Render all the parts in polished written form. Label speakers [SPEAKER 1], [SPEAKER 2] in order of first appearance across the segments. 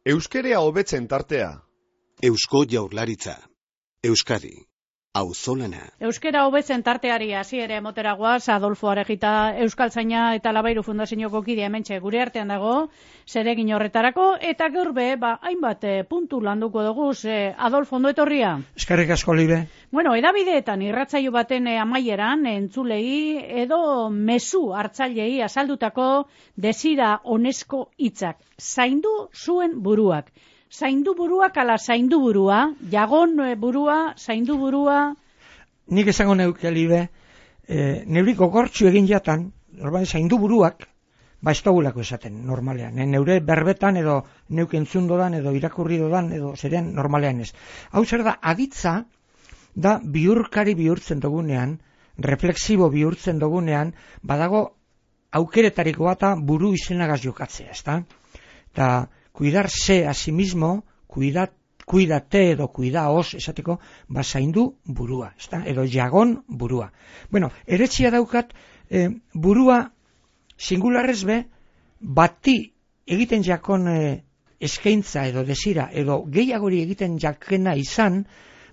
[SPEAKER 1] Euskerea hobetzen tartea.
[SPEAKER 2] Eusko Jaurlaritza. Euskadi. Auzolana.
[SPEAKER 3] Euskera hobetzen tarteari hasiera emotera goaz, Adolfo Aregita Euskaltzaina eta Labairu Fundazioko kidea hementxe gure artean dago, zeregin horretarako, eta gaur hainbat puntu landuko dugu, Adolfo, ondo etorria?
[SPEAKER 4] Eskerrik asko, Libe.
[SPEAKER 3] Bueno, edabideetan irratsaio baten amaieran entzulei edo mezu hartzailei azaldutako desira onesko hitzak. Zaindu zuen buruak. Zaindu buruak ala zaindu burua, jagon burua, zaindu burua.
[SPEAKER 4] Nik esango neuke, Libe, neuri gogortxu egin jatan, zaindu buruak, ez dugulako esaten normalean. Neure berbetan edo neuk entzun dodan edo irakurri dodan edo zerean normalean ez. Hau zer da, aditza da bihurkari bihurtzen dugunean, reflexibo bihurtzen dugunean, badago aukeretariko bata buru izenagaz jokatzea, ezta? Eta cuidarse a sí mismo, cuídate edo cuidaos, esateko, zaindu burua, ezta? Edo jagon burua. Bueno, eretxia daukat, burua singularrez be, bati egiten jakon eskaintza edo desira, edo gehiagori egiten jakena izan,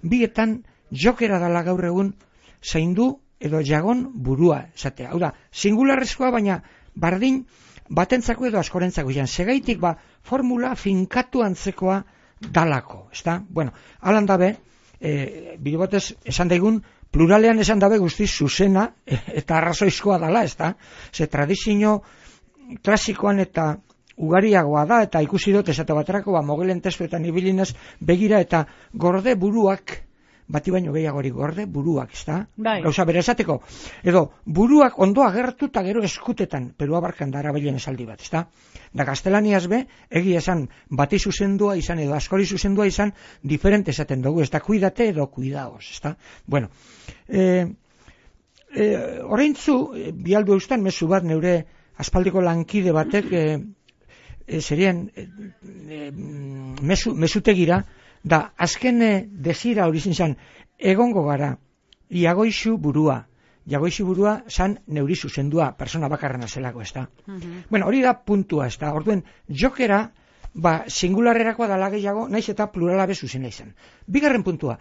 [SPEAKER 4] bietan jokera dala gaur egun zaindu edo jagon burua, esatea. Hau da, singularrezkoa, baina bardin batentzako edo askorentzako izan. Segaitik formula finkatu antzekoa dalako, ezta? Bueno, alan dabe, bidebotez esan daigun, pluralean esan dabe guztiz zuzena eta arrazoizkoa dala, ezta? Ze tradizio klasikoan eta ugariagoa da, eta ikusi dut esate baterako, mogelen testuetan ibilinez begira eta gorde buruak, bati baino gehiagori gorde buruak, ezta? Gauza bere esateko. Edo buruak ondo agertu eta gero eskutetan, Perua barkan da arabilen esaldi bat, ezta? Da gaztelaniaz be, egia esan bati zuzendua izan edo askori zuzendua izan, diferente esaten dugu, ezta? Cuidate edo cuidaos, ezta? Bueno, oraintzu, bialdu eustan, mezu bat neure aspaldiko lankide batek, zerien mesutegira, da azken desira hori zintzen, egongo gara, jagoizu burua. Jagoizu burua zan neuri zuzendua, persona bakarrena zelako, ezta. Bueno, hori da puntua, ezta. Orduen, jokera, singularrerakoa dala gehiago, naiz eta plurala be zuzena izan. Bigarren puntua.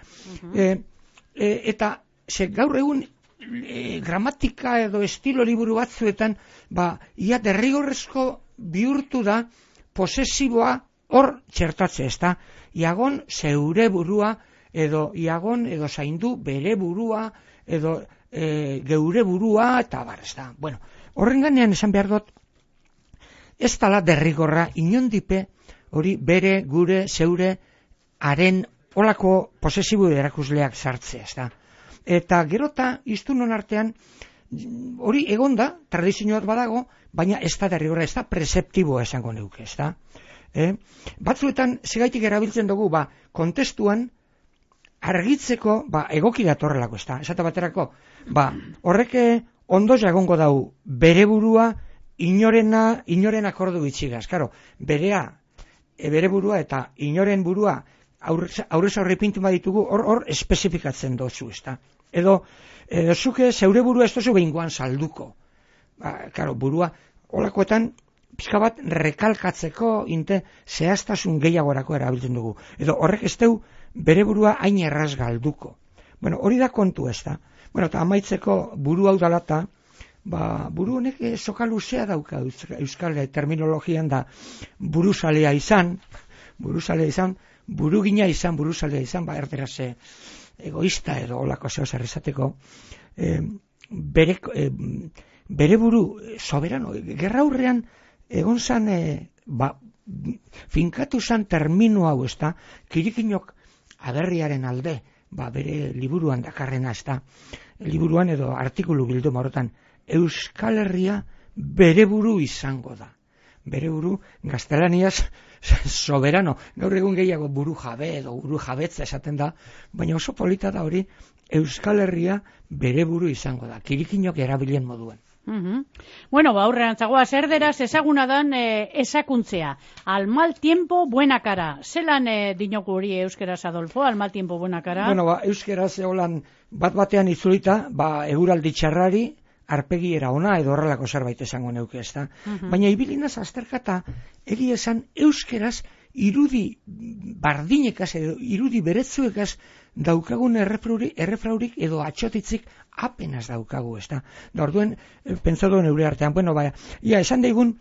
[SPEAKER 4] Eta, gaur egun, gramatika edo estilo liburu batzuetan, ia derrigorrezko bihurtu da, posesiboa hor txertatze, ezta. Iagon zeure burua, edo iagon edo zaindu bere burua, edo geure burua, eta bar, ezta. Bueno, horren ganean esan behar dut, ez dala derrigorra, inondipe, hori bere, gure, zeure, haren olako posesibo erakusleak sartzea, ezta. Eta gerota, iztunon artean, hori egonda, tradizioat badago, baina ez da derrigorra, ez da preseptiboa esango neuke, ezta. Batzuetan segaitik erabiltzen dugu kontestuan argitzeko egoki datorrelako, ezta. Esate baterako, horrek ondo jagongo dau bere burua inoren akordu bitxigaz. Karo, bere burua eta inoren burua aurrez aurre pintu baditugu hor espezifikatzen dozu, ezta. Edo zuke zeure burua ez dozu behingoan salduko. Karo, burua holakoetan pixka bat rekalkatzeko zehaztasun gehiagorako erabiltzen dugu. Edo horrek ez deu bere burua hain erraz galduko. Bueno, hori da kontu, ez da. Bueno, eta amaitzeko buru hau dalata, buru honek soka luzea dauka euskal terminologian da buruzalea izan, burugina izan, buruzalea izan, erderaz egoista edo olako zehaz errezateko, bere buru soberano, gerra hurrean egon zan, finkatu zan termino hau, ezta, Kirikinok aberriaren alde, bere liburuan dakarrena, ezta, liburuan edo artikulu bilduma horretan, Euskal Herria bere buru izango da. Bere buru, gaztelaniaz, soberano, gaur egun gehiago buru jabe edo buru jabetza esaten da, baina oso polita da hori, Euskal Herria bere buru izango da, Kirikinok erabilen moduan.
[SPEAKER 3] Bueno, aurrean zagoa erderaz ezaguna dan esakuntzea. Al mal tiempo, buena cara. Zelan dinoku hori euskeraz, Adolfo, al mal tiempo, buena cara?
[SPEAKER 4] Bueno, euskeraz egolan bat-batean itzulita, eguraldi txarrari, arpegiera ona edo horrelako zerbait esango neuke, ezta. Baina ibilinaz azterkata, egia esan euskeraz irudi bardinekaz edo irudi beretzuekaz daukagun errefraurik edo atxotitzik apenas daukagu, ezta? Da orduen, pentsatu neure artean, bueno, esan daigun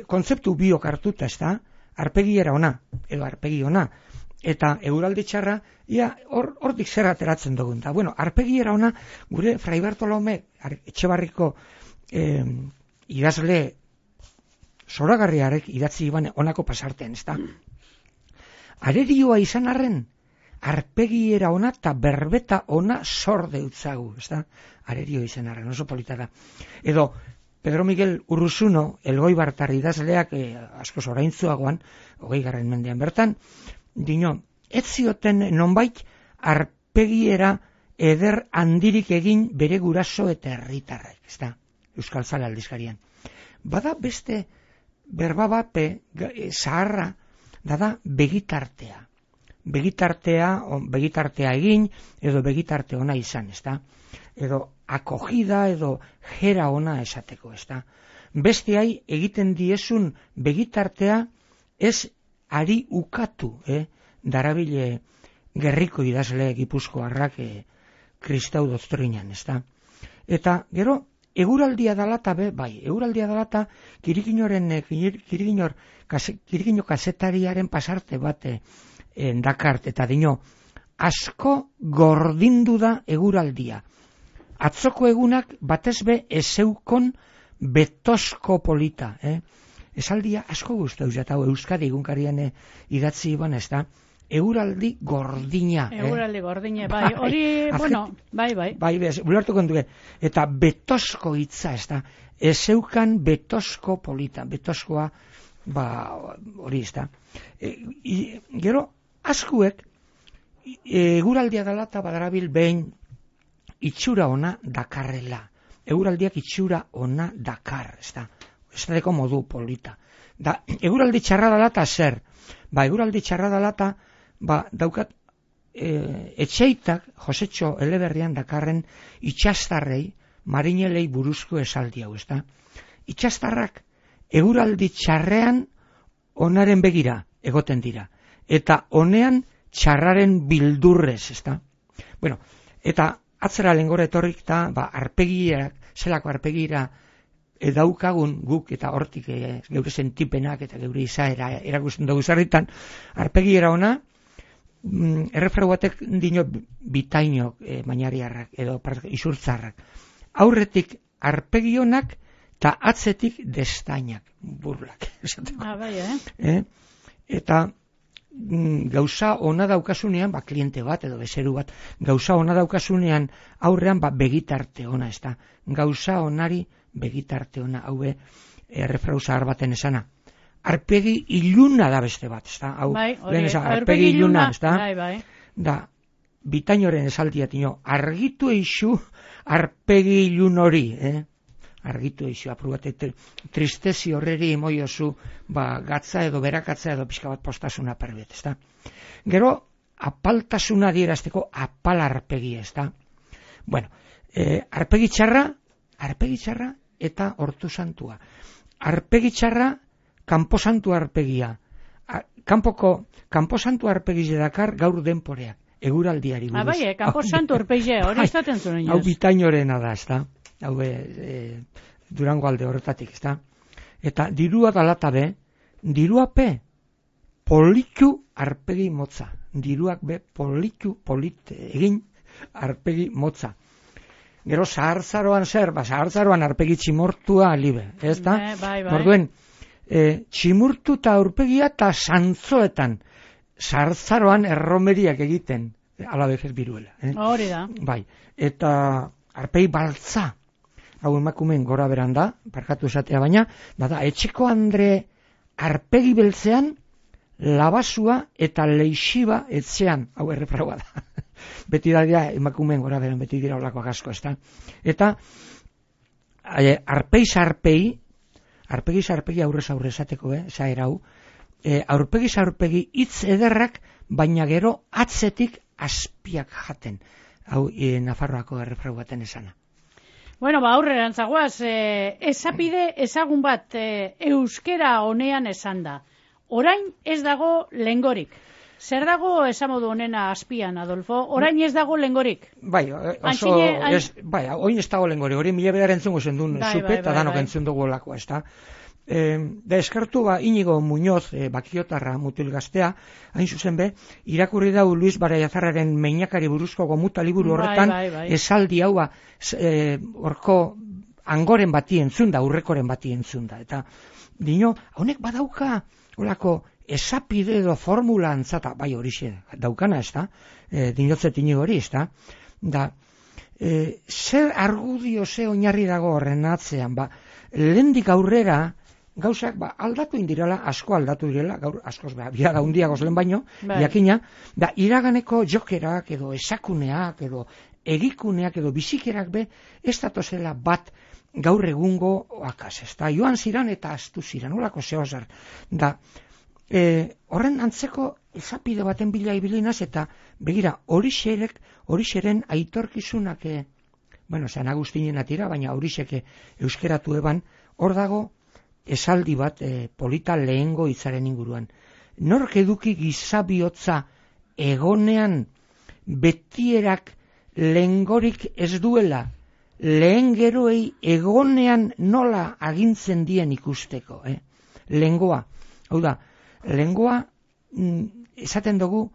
[SPEAKER 4] kontzeptu biok hartuta, ezta? Arpegiera ona, edo arpegi ona, eta eguraldi txarra, hortik zer ateratzen dugun. Da, bueno, arpegiera ona, gure Fray Bartolome Etxebarriko idazle zoragarriarek idatzi iban onako pasarten, ezta? Arerioa izan arren, arpegiera ona eta berbeta ona zor deutzagu, ezta? Arerio izan arren, oso polita da. Edo, Pedro Miguel Urruzuno, Elgoibartar idazleak asko zoraintzuagoan, 20. mendean bertan, dino, ez zioten nonbait arpegiera eder handirik egin bere guraso eta herritarrek, ezta? Euskal Zale aldizkarian. Bada beste berba bape zaharra, da begitartea. Begitartea egin, edo begitarte ona izan, ezta? Edo akogida, edo jera ona esateko, ezta? Besteai egiten diezun begitartea ez ari ukatu, darabile gerriko idazle Gipuzkoarrak kristau doktrinan, ezta? Eta gero, eguraldia dalata eguraldia dalata Kirigino kazetariaren pasarte bate dakart, eta dino, asko gordindu da eguraldia. Atzoko egunak batezbe ezeukon betosko polita, esaldia asko guztau jatau Euskadi egunkarian idatzi iban, ez da, eguraldi gordina.
[SPEAKER 3] Eguraldi gordina, bai, hori, bueno, bai.
[SPEAKER 4] Bai, bulartuko duke, eta betosko hitza, ez da, ezeukan betosko polita, betoskoa, hori ez da. Gero, askuek, eguraldia dela eta badarabil behin itxura ona dakarrela. Eguraldiak itxura ona dakar, ez da. Ez da deko modu polita. Da, eguraldi txarra dela eta zer? Eguraldi txarra dela eta daukat etxeitak Josetxo Eleberrian dakarren itxastarrei marinelei buruzko esaldi hau, ez da. Itxastarrak eguraldi txarrean onaren begira egoten dira. Eta honean txarraren bildurrez, ez da. Bueno, eta atzera lengora etorrik da, arpegiak, zelako arpegira daukagun guk eta hortik geure sentipenak eta geure izaera erakusten dugu zarritan, arpegiera ona, errefrau batek dino bitainok mainariarrak edo isurtzarrak. Aurretik arpegionak eta atzetik destainak, burlak. Eta gauza ona daukasunean, kliente bat edo bezeru bat, gauza ona daukasunean aurrean begitarte ona, ez da. Gauza onari begitarte ona, hau errefrau zahar baten esana. Arpegi iluna da beste bat, ez da. Arpegi iluna, ez da. Da, bitainoren esaldia tino, argitu eixu arpegi ilun hori, argitu eixu, aprobate tristezi horreri moiozu, gatza edo berakatza edo pixka bat postasuna perbet, ez da. Gero, apaltasuna dierazteko apal arpegi, ez da. Bueno, arpegi txarra eta hortu santua. Arpegi txarra, kanposantu arpegia. Kanposantu arpegize dakar gaur denporeak, eguraldiari buruz.
[SPEAKER 3] Kanposantu arpegia, hori izaten zuen inoz.
[SPEAKER 4] Hau bitainoarena da, ez da. Hau Durango alde horretatik, ez da. Eta dirua dalatabe, diruape politu arpegi motza. Diruak be politu egin arpegi motza. Gero zahartzaroan zer, zahartzaroan arpegi tximortua libe, ez da? Orduen, tximurtu eta aurpegia eta santzoetan zahartzaroan erromeriak egiten, alabezez biruela.
[SPEAKER 3] Hori da.
[SPEAKER 4] Bai, eta arpegi baltza, hau emakumeen gora beran da, parkatu esatea baina, da, etxeko andre arpegi beltzean, labasua eta leixiba etxean, hau errefraua da. Beti da emakumeen gora beran, beti dira olakoak asko, ez da. Eta arpegi aurrez aurre esateko, zaherau, aurpegi hitz ederrak, baina gero atzetik azpiak jaten. Hau Nafarroako errefrau baten esana.
[SPEAKER 3] Bueno, aurreran zagoaz, esapide ezagun bat euskera honean esan da. Orain ez dago lengorik. Zer dago esamodu honena azpian, Adolfo? Orain ez dago lengorik.
[SPEAKER 4] Bai, oin ez dago lengorik. Hori mila bedar entzungo zendun zupe eta danok entzun dugu lakoa, ez da. Da eskartu Inigo Muñoz, bakiotarra mutil gaztea, hain zuzen be, irakurri dau Luis Baraiazarraren meinakari buruzko gomuta liburu horretan, esaldi hau horko angoren bati entzun da, urrekoren bati entzun da. Eta dino, honek badauka olako esapide edo formula antzata, bai horixe daukana, ez da, dinotzet Inigo hori, ez da, da, zer argudio ze oinarri dago horren atzean, lehendik aurrera, gauzak aldatu indirela, asko aldatu direla, gaur askoz biara hundiagoz lehen baino, jakina, da iraganeko jokerak edo esakuneak edo egikuneak edo bizikerak be, ez datozela bat gaur egungo oakaz, ez da, joan ziran eta astu ziran, olako zehozer, da, horren antzeko esapide baten bila ibilinaz eta begira, horixeren aitorkizunak, San Agustinen atira, baina horixeke euskeratu eban, hor dago, esaldi bat polita lehengo hitzaren inguruan. Nork eduki gizabihotza egonean betierak lehengorik ez duela, lehen geroei egonean nola agintzen dien ikusteko. Lehengoa. Hau da, lehengoa, esaten dugu,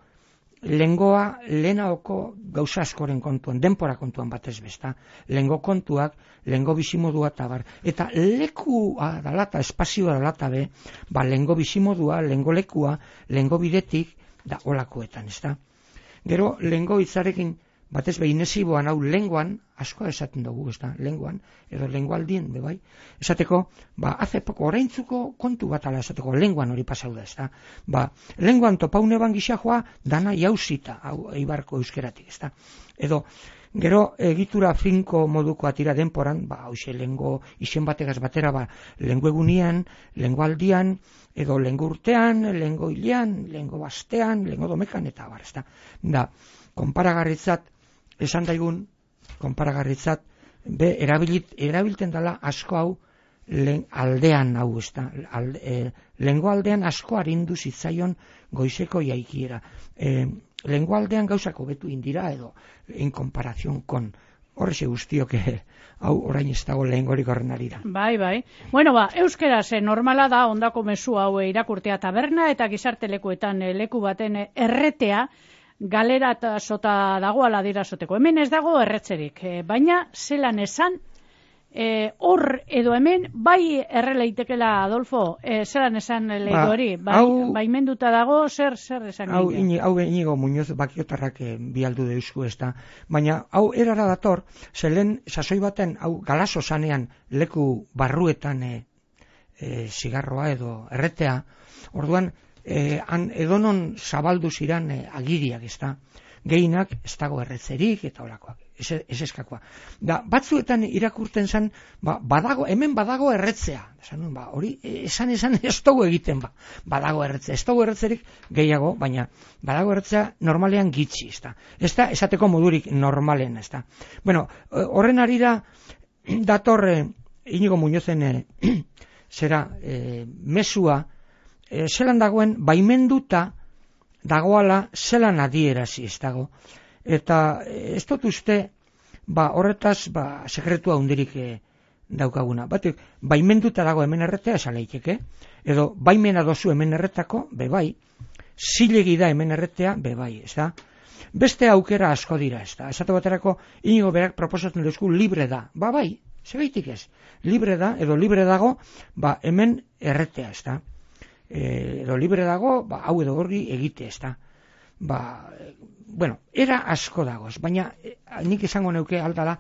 [SPEAKER 4] lehengoa lehenaoko gauza askoren kontuan, denpora kontuan batez besta. Lehengo kontuak, lehengo bizimodua eta bar. Eta lekua dalata, espazioa dalata be, lehengo bizimodua, lehengo lekua, lehengo bidetik, da olakoetan, ez da. Gero, lehengo hitzarekin, batez be, inesiboan hau lenguan, asko esaten dugu, ez da, lenguan, edo lengualdien, bebai, esateko, hace poko, oraintzuko kontu bat ala esateko, lenguan hori pasau da, ez da, lenguan topaune ban gixajoa, dana jauzita, hau eibarko euskeratik, ez da, edo, gero, egitura finko moduko atira denporan, hauxe, lengo, izen bategaz batera, lengu egunian, lengualdian, edo lengu urtean, lengo hilean, lengo bastean, lengo domekan, eta bar, ez da, konparagarritzat, esan daigun, konparagarritzat, erabilten dela asko hau aldean hau, ez da, lengo aldean asko arindu zitzaion goizeko jaikiera. Lengo aldean gauzako betu indira edo, en comparación con, horrexe guztiok, hau orain ez dago lehengorik horren arira.
[SPEAKER 3] Bai. Bueno, euskeraz normala da ondako mezu hau irakurtea taberna eta gizartelekuetan leku baten erretea, galera eta sota dagoala dirasoteko. Hemen ez dago erretzerik, baina zelan esan, hor edo hemen, bai erreleitekela, Adolfo, zelan esan lehidu hori, baimenduta dago, zer esan gine?
[SPEAKER 4] Hau Inigo Muñoz bakiotarrak bialdu deusku ez da, baina hau erara dator, zelen sasoi baten, hau galazo zanean leku barruetan zigarroa edo erretea, orduan, edonon zabaldu ziran agiriak, ez da, gehinak ez dago erretzerik eta olakoak, ez eskakoa. Da, batzuetan irakurten zen, hemen badago erretzea, hori, esan ez dugu egiten, badago erretzea, ez dugu erretzerik gehiago, baina badago erretzea normalean gitxi, ez da, ez da, esateko modurik normalen, ez da. Bueno, horren arira dator Inigo Muñozen zera mesua, zelan dagoen baimenduta dagoala zelan adierazi ez dago. Eta ez dut uste horretaz sekretua hundirik daukaguna. Batek, baimenduta dago hemen erretea esaleiteke, edo baimena dozu hemen erretako, bebai, zilegi da hemen erretea, bebai, ez da. Beste aukera asko dira, ez da. Esate baterako Inigo berak proposatzen duzku libre da. Bai, segaitik ez. Libre da, edo libre dago, hemen erretea, ez da. Edo libre dago, hau edo horri egite, ez da. Bueno, era asko dagoz, baina nik esango neuke aldala,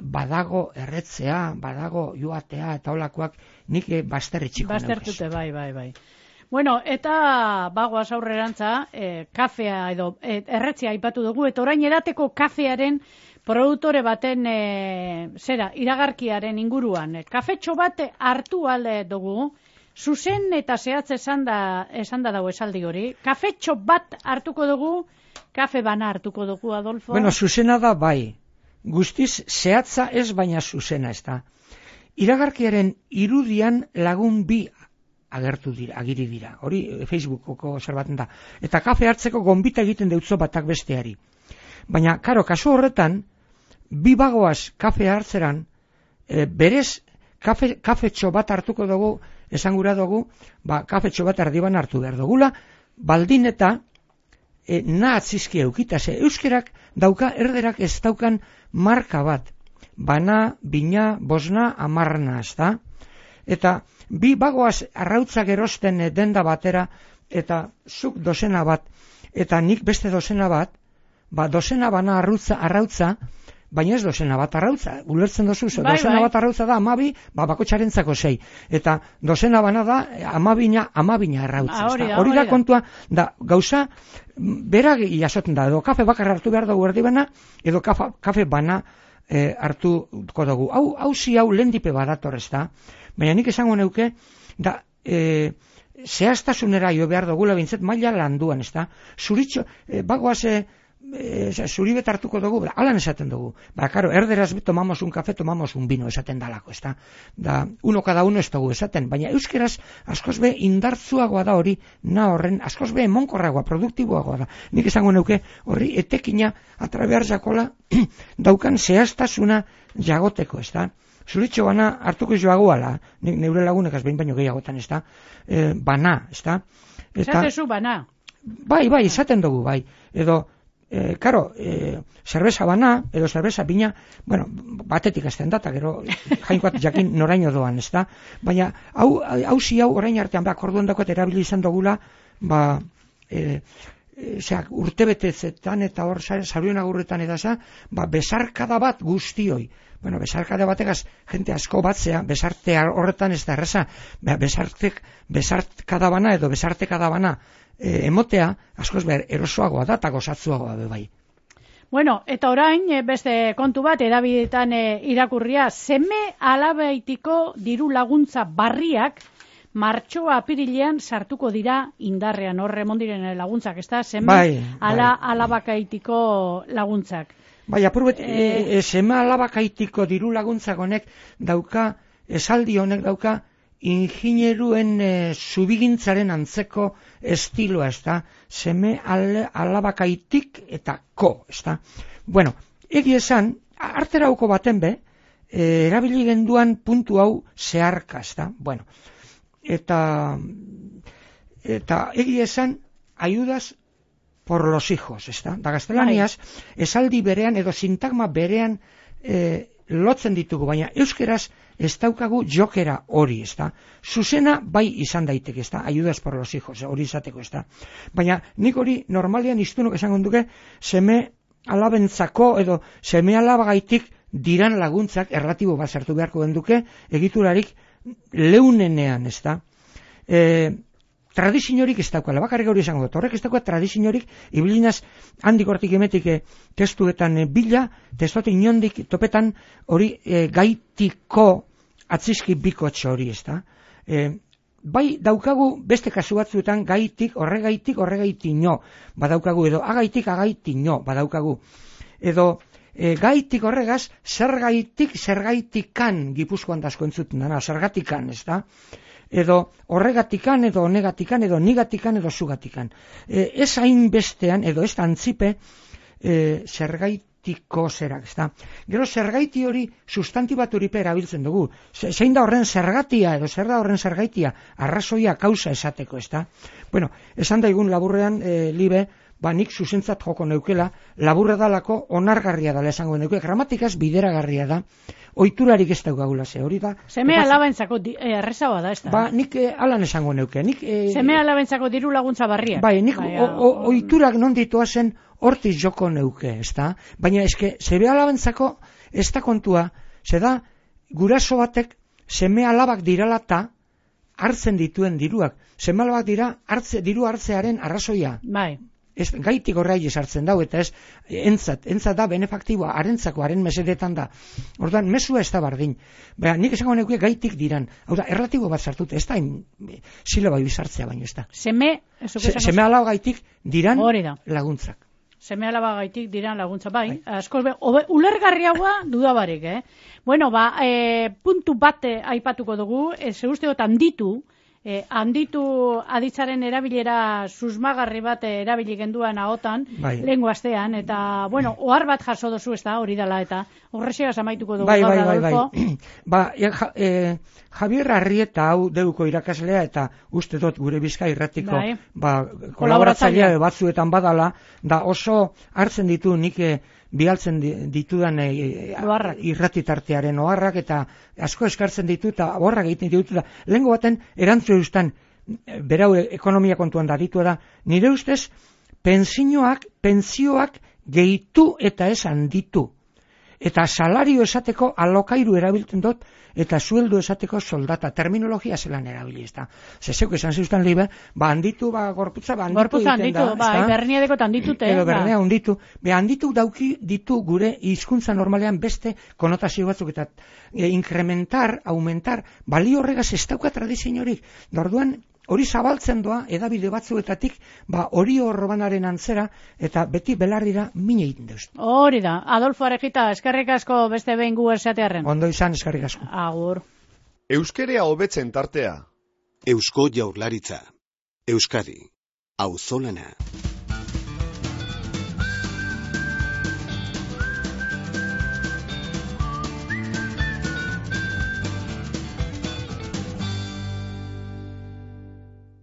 [SPEAKER 4] badago erretzea, badago joatea eta olakoak nik bazterritxiko neukez.
[SPEAKER 3] Baztertute, bai. Bueno, eta bagoaz aurrerantza, kafea edo erretzea aipatu dugu, eta orain edateko kafearen produktore baten iragarkiaren inguruan. Kafetxo bat hartu alde dugu, zuzen eta zehatz esan da dago esaldi hori. Kafetxo bat hartuko dugu, kafe bana hartuko dugu, Adolfo?
[SPEAKER 4] Bueno, zuzena da bai. Guztiz zehatza ez baina zuzena ez da. Iragarkiaren irudian lagun bi agiri dira. Hori Facebookoko zerbaten da. Eta kafe hartzeko gonbita egiten deutzo batak besteari. Baina, karo, kasu horretan, bi bagoaz kafe hartzeran, berez kafetxo bat hartuko dugu, esan gura dugu, kafetxo bat erdiban hartu behar dugula, baldin eta nahatzizki eukita, euskerak dauka, erderak ez daukan marka bat, bana, bina, bosna, amarna, ez da? Eta bi bagoaz arrautzak erosten denda batera, eta zuk dozena bat, eta nik beste dozena bat, dozena bana arrautza, baina ez dozena bat arrautza, ulertzen dozu, dozena bat arrautza da 12, bakotxarentzako 6, eta dozena bana da 12 arrautza. Hori da kontua, da gauza, berak jasoten da, edo kafe bakar hartu behar dugu erdibana, edo kafe bana hartuko dugu. Hau lehendipe badator ez da, baina nik esango neuke, da, zehaztasunera jo behar dugula bintzet maila landuan, ez da, zuritxo, bagoaz, zuri bet hartuko dugu, alan esaten dugu. Karo, erderaz tomamos un café, tomamos un vino, esaten dalako, ez da. Da, uno cada uno ez dugu esaten, baina euskeraz askoz be indartzuagoa da hori, horren, askoz be emonkorragoa, produktiboagoa da. Nik esango neuke, horri etekina atrabear jakola daukan zehaztasuna jagoteko, ez da. Zuritxo bana hartuko joagoala, neure lagunekaz behin baino gehiagotan, ez da. Bana, ez da.
[SPEAKER 3] Esatezu bana.
[SPEAKER 4] Bai, esaten dugu, bai. Edo, karo, zerbeza bana, edo zerbeza bina, bueno, batetik azten data, gero jainkoat jakin noraino doan, ez da? Baina, hau orain artean, orduan dakoet erabili izan dugula, urtebetezetan eta hor saruen agurretan edasa, besarkada bat guztioi. Bueno, besarkada bategaz, jente asko batzea, besarte horretan ez da erreza, besarkada bana edo besartekada bana, emotea, askoz behar, erosoagoa da, eta gozatzuagoa bai.
[SPEAKER 3] Bueno, eta orain, beste kontu bat, edabidetan irakurria, seme alabaitiko diru laguntza barriak, martxoa apirilean sartuko dira indarrean, horre mondiren laguntzak, ez da? Seme alabakaitiko laguntzak.
[SPEAKER 4] Bai, apurbet, seme alabakaitiko diru laguntzak honek dauka, esaldi honek dauka, ingineruen zubigintzaren antzeko estiloa, ez da, seme alabakaitik eta ko, ez da. Bueno, egi esan, arterauko baten be, erabili genduan puntu hau zeharka, ez da. Bueno, eta egi esan, ayudas por los hijos, ez da. Da gaztelaniaz, esaldi berean edo sintagma berean lotzen ditugu, baina euskeraz ez daukagu jokera hori, ez da. Zuzena bai izan daiteke, ez da, ayudas por los hijos, hori izateko, ez da. Baina nik hori normalian iztunok esango duke, seme alabentzako edo seme alabagaitik diran laguntzak erlatibo bat sartu beharko genduke, egiturarik leunenean, ez da. Tradiziorik ez daukala, bakarrik hori esango dut, horrek ez daukala tradiziorik, ibilinaz handik hortik emetik testuetan bila, testuetan inondik topetan hori gaitiko atzizki bikotxo hori, ez da. Bai daukagu beste kasu batzuetan gaitik, horregaitino, badaukagu, edo agaitino, badaukagu. Edo gaitik horregaz, zergaitikan Gipuzkoan dasko entzuten dana, zergatikan, ez da. Edo horregatikan, edo honegatikan, edo nigatikan, edo zugatikan. Ez hain bestean, edo ez antzipe, zergaitiko zerak, ez da. Gero zergaiti hori sustantibaturipe erabiltzen dugu. Zein da horren zergatia, edo zer da horren zergaitia, arrazoia kausa esateko, ez da. Bueno, esan daigun laburrean, libe, nik zuzentzat joko neukela, laburra dalako onargarria dala esango neuke, gramatikaz bideragarria da, oiturarik ez daukagula ze, hori da.
[SPEAKER 3] Seme alabentzako errezagoa da, ez da?
[SPEAKER 4] Nik alan esango neuke.
[SPEAKER 3] Seme alabentzako diru laguntza barriak.
[SPEAKER 4] Bai, nik oiturak non ditoa zen hortiz joko neuke, ez da? Baina eske, seme alabentzako ez da kontua, ze da, guraso batek seme alabak diralata hartzen dituen diruak. Seme alabak dira diru hartzearen arrazoia.
[SPEAKER 3] Bai.
[SPEAKER 4] Ez, gaitik horrai esartzen dau, eta ez, entzat da benefaktiboa, harentzako, haren mesedetan da. Orduan, mesua ez da bardin. Baina, nik esango neuke gaitik diran. Hau da, erlatibo bat sartute, ez da, silaba bizartzea baino, ez da.
[SPEAKER 3] Seme
[SPEAKER 4] alaba gaitik diran laguntzak.
[SPEAKER 3] Seme alaba gaitik diran laguntza, bai. Askoz, ulergarriagoa dudabarik, Bueno, puntu bat aipatuko dugu, ze usteotan ditu, handitu aditzaren erabilera susmagarri bat erabili genduan ahotan, lehengo astean, eta, bueno, ohar bat jaso dozu, ez da, hori dela, eta horrexeaz amaituko dugu.
[SPEAKER 4] Bai. Javier Arrieta hau deuko irakaslea, eta uste dut gure Bizkai Irratiko kolaboratzailea batzuetan badala, da oso hartzen ditu nik bialtzen ditudan irratitartearen oharrak, eta asko eskartzen ditu, eta oharrak egiten ditu, eta lehengo baten erantzu eustan, berau ekonomia kontuan da ditu da, nire ustez pensioak gehitu eta ez handitu, eta salario esateko alokairu erabiltzen dut, eta sueldo esateko soldata, terminologia zelan erabili, ez da. Zezeuk esan zeustan libe, handitu, gorputza,
[SPEAKER 3] handitu, berniadeko handitute.
[SPEAKER 4] Edo bernea handitu. Handitu dauki ditu gure hizkuntza normalean beste konotazio batzuk, eta incrementar, aumentar, balio horregaz ez dauka tradiziorik. Orduan, hori zabaltzen doa, edabide batzuetatik, hori horrobanaren antzera, eta beti belarrira mine egiten deuz.
[SPEAKER 3] Hori da. Adolfo Arejita, eskerrik asko beste behin gu esatearren.
[SPEAKER 4] Ondo izan, eskerrik asko.
[SPEAKER 3] Agur.
[SPEAKER 1] Euskerea hobetzen tartea.
[SPEAKER 2] Eusko Jaurlaritza. Euskadi. Auzolana.